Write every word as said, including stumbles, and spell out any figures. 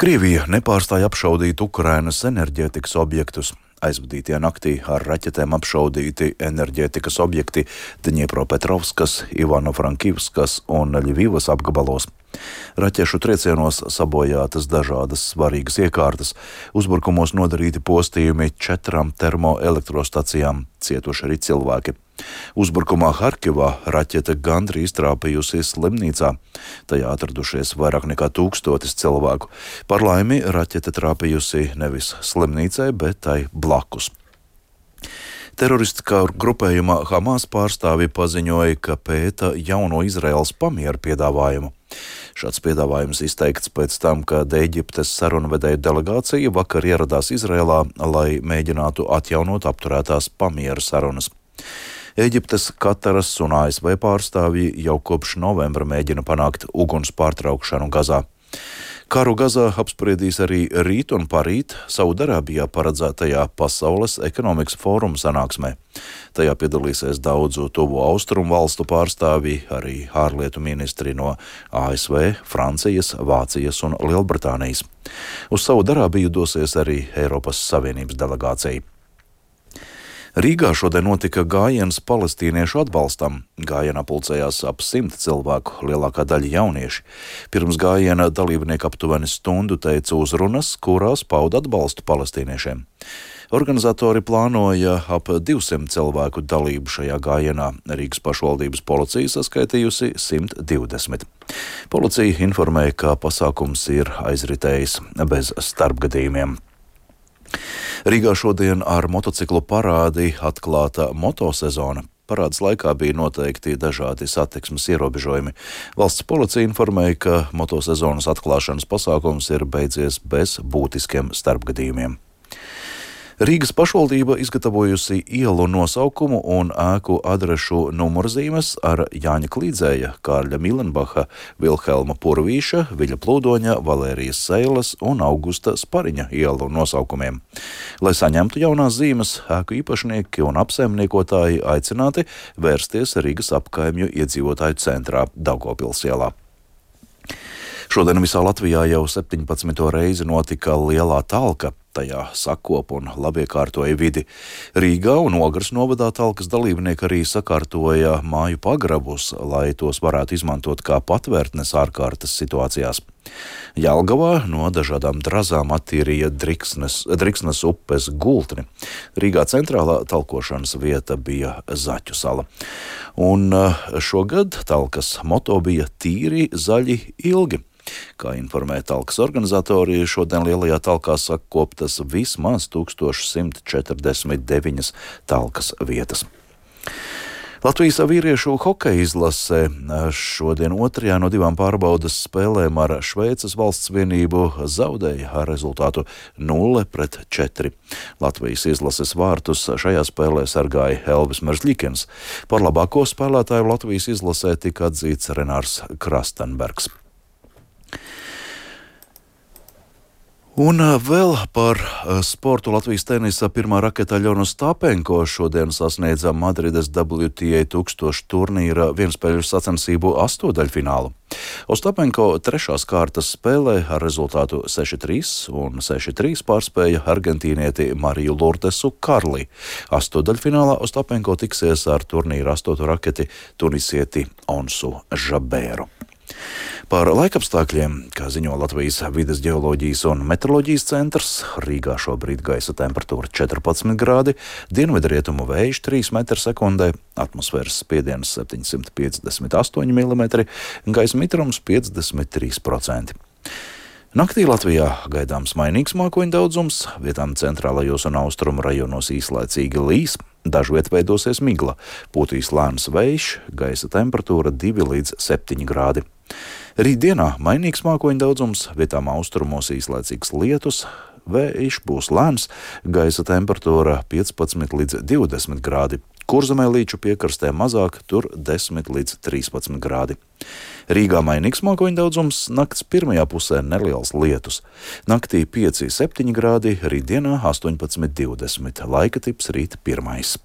Krievija nepārstāja apšaudīt Ukrainas enerģētikas objektus. Aizvadītajā naktī ar raķetēm apšaudīti enerģētikas objekti Dņiepropetrovskas, Ivano-Frankivskas un Ļvivas apgabalos. Raķešu triecienos sabojātas dažādas svarīgas iekārtas, uzbrukumos nodarīti postījumi četrām termoelektrostacijām, cietuši arī cilvēki. Uzbrukumā Harkivā raķete gandrīz trāpījusi slimnīcā. Tajā atradušies vairāk nekā tūkstotis cilvēku. Par laimi raķete trāpījusi nevis slimnīcai, bet tai blakus. Teroristiskā grupējuma Hamas pārstāvi paziņoja, ka pēta jauno Izraēlas pamieru piedāvājumu. Šāds piedāvājums izteikts pēc tam, kad Ēģiptes sarunvedēja delegācija vakar ieradās Izraēlā, lai mēģinātu atjaunot apturētās pamiera sarunas. Ēģiptes, Kataras un A S V pārstāvji jau kopš novembra mēģina panākt uguns pārtraukšanu Gazā. Karu Gazā apspriedīs arī rīt un parīt Saudarābijā paredzētajā Pasaules ekonomikas fóruma sanāksmē. Tajā piedalīsies daudzu tuvo austrumu valstu pārstāvji, arī ārlietu ministri no A S V, Francijas, Vācijas un Lielbritānijas. Uz Saudarābiju dosies arī Eiropas Savienības delegācija. Rīgā šodien notika gājiens palestīniešu atbalstam. Gājienā pulcējās ap simt cilvēku, lielākā daļa jaunieši. Pirms gājiena dalībnieki aptuveni stundu teica uzrunas, kurās pauda atbalstu palestīniešiem. Organizatori plānoja ap divsimt cilvēku dalību šajā gājienā. Rīgas pašvaldības policija saskaitījusi simt divdesmit. Policija informēja, ka pasākums ir aizritējis bez starpgadījumiem. Rīgā šodien ar motociklu parādi atklāta motosezona. Parādes laikā bija noteikti dažādi satiksmes ierobežojumi. Valsts policija informēja, ka motosezonas atklāšanas pasākums ir beidzies bez būtiskiem starpgadījumiem. Rīgas pašvaldība izgatavojusi ielu nosaukumu un ēku adrešu numurzīmes ar Jāņa Klīdzēja, Kārļa Milenbacha, Vilhelma Purvīša, Viļa Plūdoņa, Valērijas Seiles un Augusta Spariņa ielu nosaukumiem. Lai saņemtu jaunās zīmes, ēku īpašnieki un apsaimniekotāji aicināti vērsties Rīgas apkaimju iedzīvotāju centrā Daugavpils ielā. Šodien visā Latvijā jau septiņpadsmito reizi notika lielā talka. Tajā sakop un labiekārtoja vidi. Rīgā un Ogres novadā talkas dalībnieki arī sakārtoja māju pagrabus, lai tos varētu izmantot kā patvērtnes ārkārtas situācijās. Jelgavā no dažādām drazām attīrīja Driksnes, Driksnes upes gultni. Rīgā centrālā talkošanas vieta bija Zaķu sala. Un šogad talkas moto bija tīri, zaļi, ilgi. Kā informē talkas organizatori, šodien lielajā talkā sakoptas vismaz tūkstoš simt četrdesmit deviņas talkas vietas. Latvijas vīriešu hokeja izlase šodien otrajā no divām pārbaudas spēlēm ar Šveices valsts vienību zaudēja ar rezultātu nulle pret četri. Latvijas izlases vārtus šajā spēlē sargāja Elvis Merzļikins. Par labāko spēlētāju Latvijas izlasē tika atzīts Renārs Krastenbergs. Un vēl par sportu. Latvijas tenisa pirmā raketa Aļona Ostapenko šodien sasniedza Madrides W T A tūkstoš turnīra vienspēļu sacensību astodaļfinālu. Ostapenko trešās kārtas spēlē ar rezultātu seši trīs un seši trīs pārspēja argentīnieti Mariju Lurdesu Karli. Astodaļfinālā Ostapenko tiksies ar turnīra astoto raketi tunisieti Onsu Žabēru. Par laikapstākļiem, kā ziņo Latvijas vides ģeoloģijas un meteoroloģijas centrs, Rīgā šobrīd gaisa temperatūra četrpadsmit grādi, dienvidrietumu vējš trīs metri sekundē, atmosfēras spiediens septiņsimt piecdesmit astoņi milimetri, gaisa mitrums piecdesmit trīs procenti. Naktī Latvijā gaidāms mainīgs mākoņu daudzums, vietām centrālajos un austrumu rajonos īslaicīgi līs, dažviet veidosies migla, pūtīs lēns vējš, gaisa temperatūra divi līdz septiņi grādi. Rītdienā mainīgs mākoņu daudzums, vietām austrumos īslaicīgs lietus, vējš būs lēns, gaisa temperatūra piecpadsmit līdz divdesmit grādi. Kurzemē līču piekrastē mazāk, tur desmit līdz trīspadsmit grādi. Rīgā mainīgs mākoņu daudzums, nakts pirmajā pusē neliels lietus. Naktī pieci septiņi grādi, rītdienā astoņpadsmit divdesmit, laika tips rīt pirmais.